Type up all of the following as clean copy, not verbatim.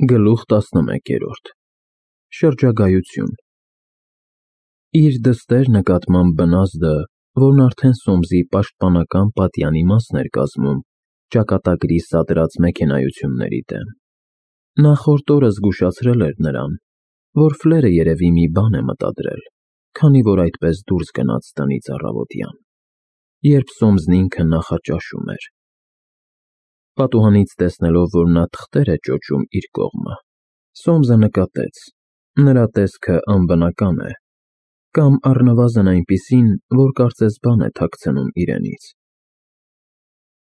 Գլուխ 11 Շրջագայություն Իր դստեր նկատմամբ բնազդը, որն արդեն Սոմսի պաշտպանական պատյանի մասն էր կազմում ճակատագրի սադրած մեքենայությունների դեմ, նախորդ օրը զգուշացրել էր նրան, որ Ֆլերը երևի մի բան է մտադրել, քանի որ այդպես դուրս գնաց տնից առավոտյան, երբ Սոմսն ինքը նախաճաշում էր։ Պատուհանից տեսնելով, որ նա թղթեր է ճոճում իր կողմը, Սոմսը նկատեց. նրա տեսքը անբնական է, կամ առնվազն այնպիսին, որ կարծես բան է թաքցնում իրենից։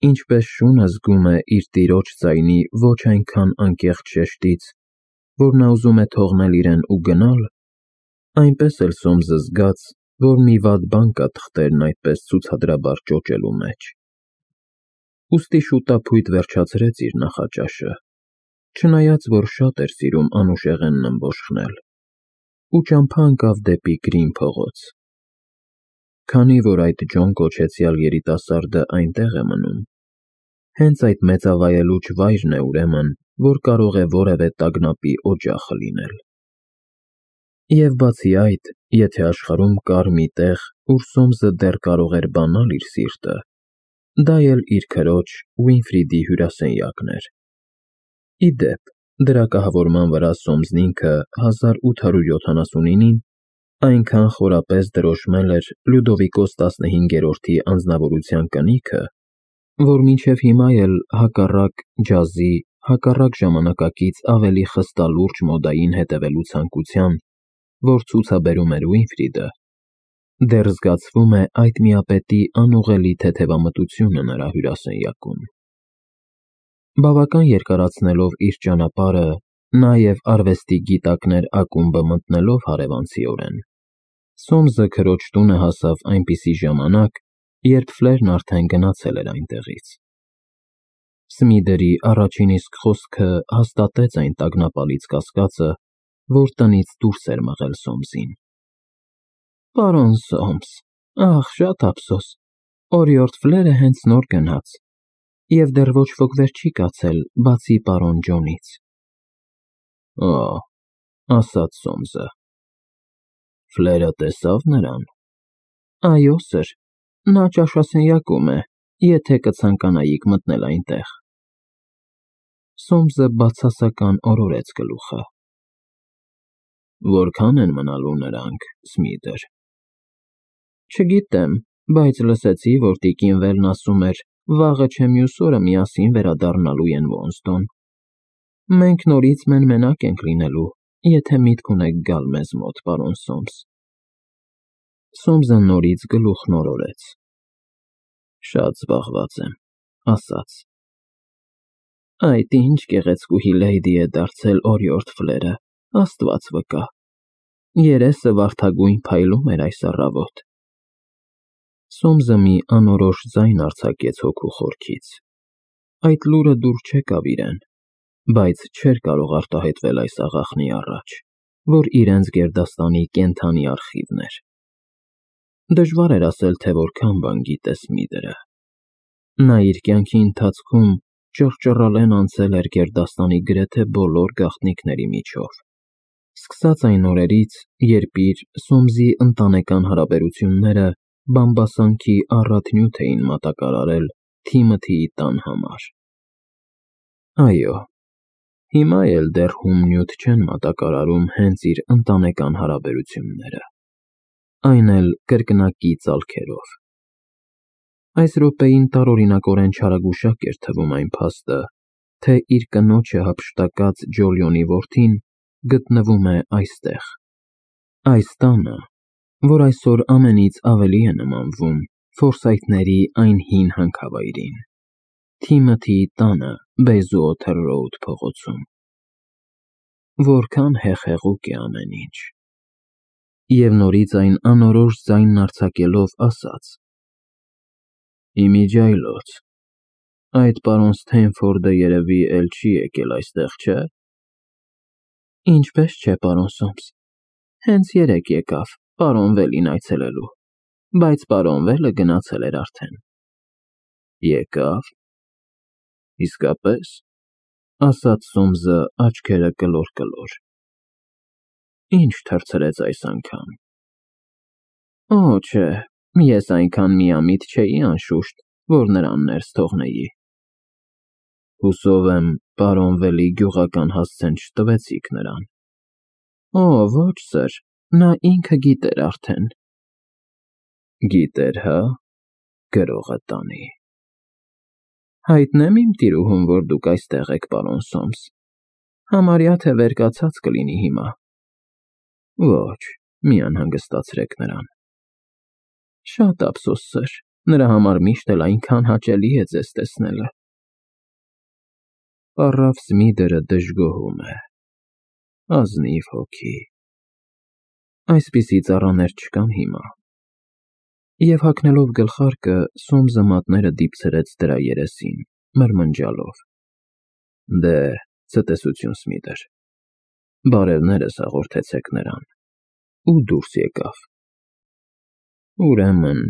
Ինչպես շունը զգում է իր տիրոջ ձայնի ոչ այնքան անկեղծ շեշտից, որ նա ուզում է թողնել իրեն ու գնալ, այնպես էլ Սոմսը զգաց, որ մի վատ բան կա թղթերն այդպես ցուցադրաբար ճոճելու մեջ։ Ուստի շուտափույթ վերջացրեց իր նախաճաշը, չնայած որ շատ էր սիրում անուշեղենն ըմբոշխնել, ու ճամփա ընկավ դեպի Գրին փողոց։ Քանի որ այդ Ջոն կոչեցյալ երիտասարդը այնտեղ է մնում, հենց այդ մեծավայելուչ վայրն է ուրեմն, որ կարող է որևէ տագնապի օջախը լինել։ Եվ բացի այդ, եթե աշխարհում կար մի տեղ, ուր Սոմսը դեռ կարող էր բանալ իր սիրտը, դա էլ իր քրոջ Ուինֆրիդի հյուրասենյակն էր։ Ի դեպ, դրա կահավորման վրա Սոմսն ինքը 1879-ին այնքան խորապես դրոշմել էր Լյուդովիկոս 15-րդի անձնավորության կնիքը, որ մինչև հիմա էլ հակառակ ջազի, հակառակ ժամանակակից ավելի խստալուրջ մոդային հետևելու ցանկության, որ ցուցաբերում էր Ուինֆրիդը, դեռ զգացվում է այդ միապետի անուղղելի թեթևամտությունը նրա հյուրասենյակում։ Բավական երկարացնելով իր ճանապարհը, նաև արվեստի գիտակներ ակումբը մտնելով հարևանցիորեն, Սոմսը քրոջ տունը հասավ այնպիսի ժամանակ, երբ Ֆլերն արդեն գնացել էր այնտեղից։ Սմիդերի առաջին իսկ խոսքը հաստատեց այն տագնապալից կասկածը, որ տնից դուրս էր մղել Սոմսին։ Պարոն Սոմս, ախ, շատ ափսոս, օրիորդ Ֆլերը հենց նոր գնաց, և դեռ ոչ ոք վեր չի կացել, բացի պարոն Ջոնից։ Օ, ասաց Սոմսը, Ֆլերը տեսավ նրան։ Այո, սըր, նա ճաշասենյակում է, եթե կցանկանայիք մտնել այնտեղ։ Սոմսը բացասական օրորեց գլուխը։ Որքան են մնալու նրանք, Սմիդր։ Չգիտեմ, բայց լսեցի, որ տիկին Վելն ասում էր, վաղը չէ մյուս օրը միասին վերադառնալու են Ոնստոն։ Մենք նորից մեն-մենակ ենք լինելու, եթե միտք ունեք գալ մեզ մոտ, պարոն Սոմս։ Սոմսը նորից գլուխն օրորեց։ Շատ զբաղված եմ, ասաց։ Այդ ինչ գեղեցկուհի լեյդի է դարձել օրիորդ Ֆլերը, Աստված վկա։ Երեսը վարդագույն փայլում էր այս առավոտ։ Սոմսը մի անորոշ ձայն արձակեց հոգու խորքից։ Այդ լուրը դուր չեկավ իրեն, բայց չէր կարող արտահայտվել այս աղախնի առաջ, որ իրենց գերդաստանի կենդանի արխիվն էր։ Դժվար էր ասել, թե որքան բան գիտե Սմիդրը։ Նա իր կյանքի ընթացքում ճռճռալեն անցել էր գերդաստանի գրեթե բոլոր գաղտնիքների միջով, սկսած այն օրերից, երբ իր Սոմսի ընտանեկան հարաբերությունները բամբասանքի առատնյութ էին մատակարարել Թիմոթիի տան համար։ Այո, հիմա էլ դեռ հումնյութ չեն մատակարարում հենց իր ընտանեկան հարաբերությունները, այն էլ կրկնակի ծալքերով։ Այս րոպեին տարօրինակորեն չարագուշակ էր թվում այն փաստը, թե իր կնոջը հափշտակած Ջոլիոնի որդին գտնվում է այստեղ, այս տանը, որ այսօր ամենից ավելի է նմանվում Ֆորսայթների այն հին հանքավայրին, Թիմոթիի տանը Բեյզուոթեր Ռոուդ փողոցում։ Որքան հեղեղուկ է ամեն ինչ։ Եվ նորից այն անորոշ ձայնն արձակելով ասաց. Իմիջիայլոց, այդ պարոն Սթենֆորդը երևի էլ չի եկել այստեղ, չէ։ Ինչպես չէ, պարոն Սոմս, հենց երեկ եկավ, պարոն Վելին այցելելու, բայց պարոն Վելը գնացել էր արդեն։ Եկավ։ Իսկապես։ ասաց Սոմսը աչքերը կլոր։ Ինչ թռցրեց այս անգամ։ Օ, չէ, ես այնքան միամիտ չէի անշուշտ, որ նրան ներս թողնեի։ Հուսով եմ, պարոն Վելի գյուղական հասցեն չտվեցիք նրան։ Օ, ոչ, սըր, նա ինքը գիտեր արդեն։ Գիտեր, հա, գրողը տանի։ Հայտնեմ իմ տիրուհուն, որ դուք այստեղ եք, պարոն Սոմս։ Համարյա թե վերկացած կլինի հիմա։ Ոչ, մի անհանգստացրեք նրան։ Շատ ափսոս, սըր, նրա համար միշտ էլ այնքան հաճելի է ձեզ տեսնելը։ Պառավ Սմիդերը դժգոհում է։ Ազնիվ հոգի։ Այսպիսի ծառաներ չկան հիմա։ Եվ հագնելով գլխարկը, Սոմսը մատները դիպցրեց դրա երեսին, մրմնջալով. Դե, ցտեսություն, Սմիդեր։ Բարևներս հաղորդեցեք նրան, ու դուրս եկավ։ Ուրեմն,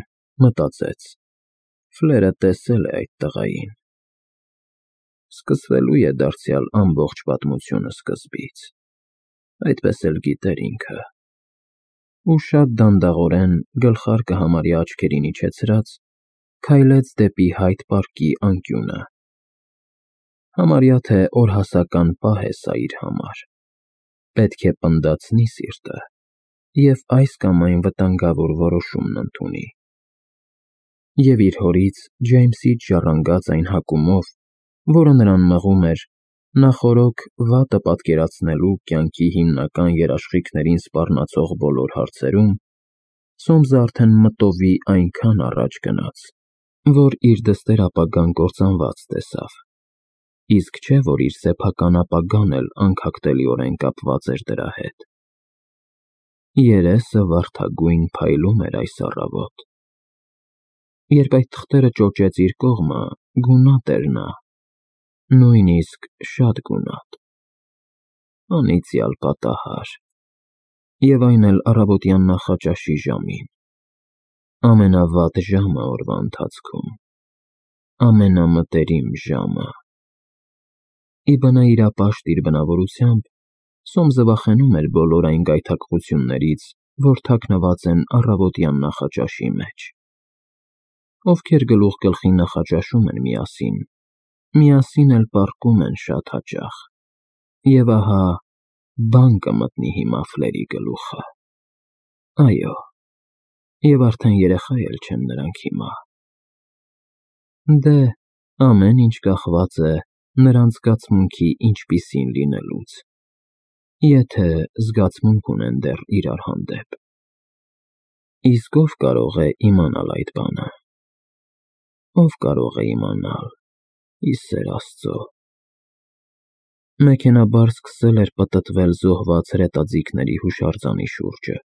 մտածեց, Ֆլերը տեսել է այդ տղային։ Սկսվելու է դարձյալ ամբողջ պատմությունը սկզբից, այդպես էլ գիտեր ինքը։ Ու շատ դանդաղորեն, գլխարկը համարյա աչքերին իջեցրած, քայլեց դեպի Հայդ պարկի անկյունը։ Համարյա թե օրհասական պահ է սա իր համար։ Պետք է պնդացնի սիրտը և այս կամ այն վտանգավոր որոշումն ընդունի։ Եվ իր հորից, Ջեյմսից ժառանգած այն հակումով, որը նրան մղում էր նախօրոք վատը պատկերացնելու կյանքի հիմնական երաշխիքներին սպառնացող բոլոր հարցերում, Սոմսը արդեն մտովի այնքան առաջ գնաց, որ իր դստեր ապագան կործանված տեսավ, իսկ չէ, որ իր սեփական ապագան էլ անքակտելիորեն կապված էր դրա հետ։ Երեսը վարդագույն փայլում էր այս առավոտ։ Երբ այդ թղթերը ճոճեց իր կողմը, գունատ էր նա, նույնիսկ շատ գունատ։ Անիծյալ պատահար։ Եվ այն էլ առավոտյան նախաճաշի ժամին։ Ամենավատ ժամը օրվա ընթացքում։ Ամենամտերիմ ժամը։ Ի բնայրապաշտ իր բնավորությամբ, Սոմսը վախենում էր բոլոր այն գայթակղություններից, որ թաքնված են առավոտյան նախաճաշի մեջ։ Ովքեր գլուխ գլխի նախաճաշում են միասին էլ պառկում են շատ հաճախ։ Եվ ահա, բան կմտնի հիմա Ֆլերի գլուխը։ Այո, և արդեն երեխա էլ չեն նրանք հիմա։ Դե, ամեն ինչ կախված է նրանց զգացմունքի ինչպիսին լինելուց, եթե զգացմունք ունեն դեռ իրար հանդեպ։ Իսկ ով կարող է իմանալ այդ բանը։ Ով կարող է իմանալ, ի սեր Աստծո։ Մեքենաբար սկսել էր պտտվել զոհված հրետաձիգների հուշարձանի շուրջը,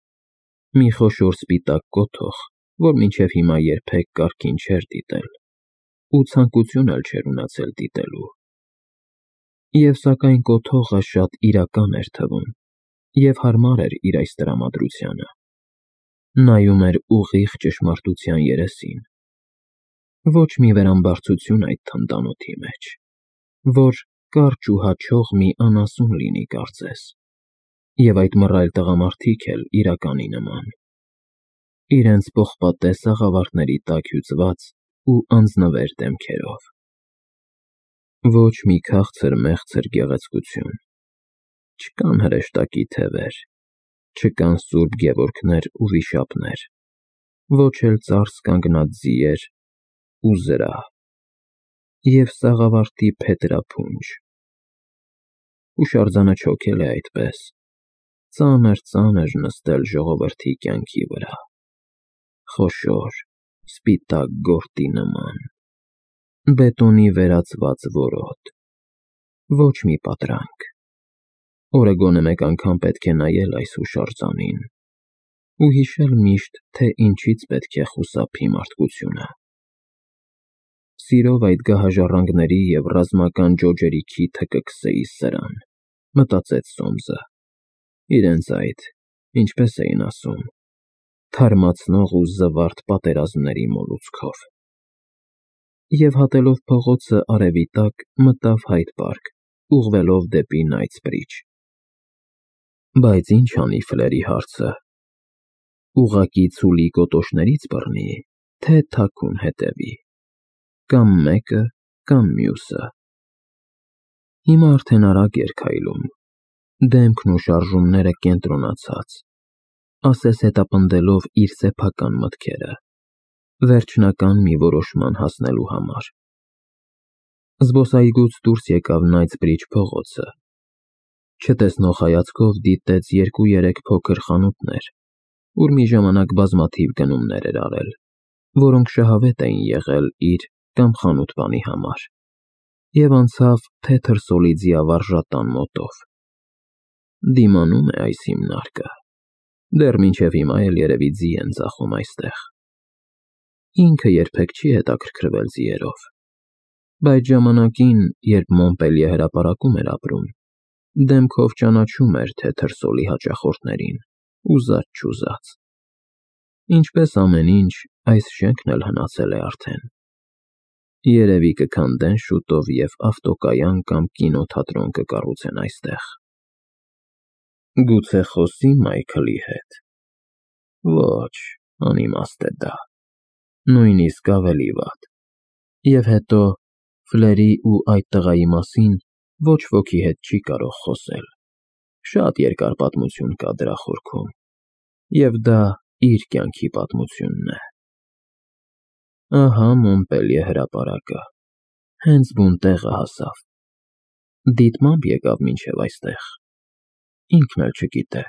մի խոշոր սպիտակ կոթող, որ մինչև հիմա երբեք կարգին չէր դիտել, ու ցանկություն էլ չէր ունեցել դիտելու։ Եվ սակայն կոթողը շատ իրական էր թվում, և հարմար էր իր այս տրամադրությանը։ Նայում էր ուղիղ ճշմարտության երեսին։ Ոչ մի վերամբարձություն այդ թնդանոթի մեջ, որ կարճ ու հաչող մի անասուն լինի կարծես, և այդ մռայլ տղամարդիկ էլ իրականի նման, իրենց պողպատե սաղավարտների տակ հյուծված ու անձնվեր դեմքերով։ Ոչ մի քաղցր-մեղցր գեղեցկություն, չկան հրեշտակի թևեր, չկան սուրբ Գևորգներ ու վիշապներ, ոչ էլ ծարս կանգնած ձիեր ու զրահ, և սաղավարտի փետրափունջ։ Հուշարձանը չոքել է այդպես, ծանր նստել ժողովրդի կյանքի վրա, խոշոր, սպիտակ գորտի նման, բետոնի վերածված որոտ, ոչ մի պատրանք։ Օրը գոնե մեկ անգամ պետք է նայել այս հուշարձանին ու հիշել միշտ, թե ինչից պետք է խուսափի մարդկությունը։ Սիրով այդ գահաժառանգների և ռազմական ջոջերի քիթը կքսեի սրան, մտածեց Սոմսը, իրենց այդ, ինչպես էին ասում, թարմացնող ու զվարթ պատերազմների մոլուցքով։ Եվ հատելով փողոցը արևի տակ, մտավ Հայդ պարկ ուղղվելով դեպի Knightsbridge։ Բայց ինչ անի Ֆլերի հարցը. ուղղակի ցուլի կոտոշներից բռնի, թե թաքուն հետևի, կամ մեկը, կամ մյուսը։ Հիմա արդեն արագ էր քայլում, դեմքն ու շարժումները կենտրոնացած, ասես հետապնդելով իր սեփական մտքերը, վերջնական մի որոշման հասնելու համար։ Զբոսայգուց դուրս եկավ Knightsbridge փողոցը, չտեսնող հայացքով դիտեց 2-3 փոքր խանութներ, ուր մի ժամանակ բազմաթիվ գնումներ էր արել, որոնք շահավետ էին եղել իր կամ խանութ-բանի համար, և անցավ թեթև սոլի ձիավարժատան մոտով։ Դիմանում է այս հիմնարկը, դեռ մինչև հիմա էլ երևի ձի են ծախում այստեղ։ Ինքը երբեք չի հետաքրքրվել ձիերով, բայց ժամանակին, երբ Մոնպելիե հրապարակում էր ապրում, դեմքով ճանաչում էր թեթև սոլի հաճախորդներին, ուզած-չուզած։ Ինչպես ամեն ինչ, այս շենքն էլ հնացել է արդեն։ Երևի կքանդեն շուտով և ավտոկայան կամ կինոթատրոն կկառուցեն այստեղ։ Գուցե խոսի Մայքլի հետ։ Ոչ, անիմաստ է դա, նույնիսկ ավելի վատ։ Եվ հետո Ֆլերի ու այդ տղայի մասին ոչ ոքի հետ չի կարող խոսել, շատ երկար պատմություն կա դրա խորքում, և դա իր կյանքի պատմությունն է։ Ահա Մոնպելիե հրապարակը, հենց բուն տեղը հասավ, դիտմամբ եկավ մինչև այստեղ, ինքն էլ չգիտե։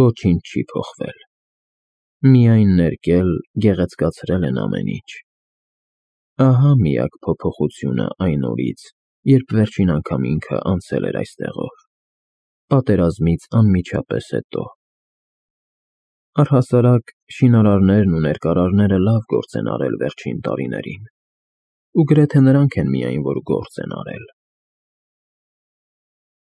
Ոչինչ չի փոխվել, միայն ներկել, գեղեցկացրել են ամեն ինչ։ Ահա միակ փոփոխությունը այն օրից, երբ վերջին անգամ ինքը անցել էր այստեղով, պատերազմից անմիջապես հետո։ Առհասարակ, շինարարներն ու ներկարարները լավ գործ են արել վերջին տարիներին, ու գրեթե նրանք են միայն, որ գործ են արել։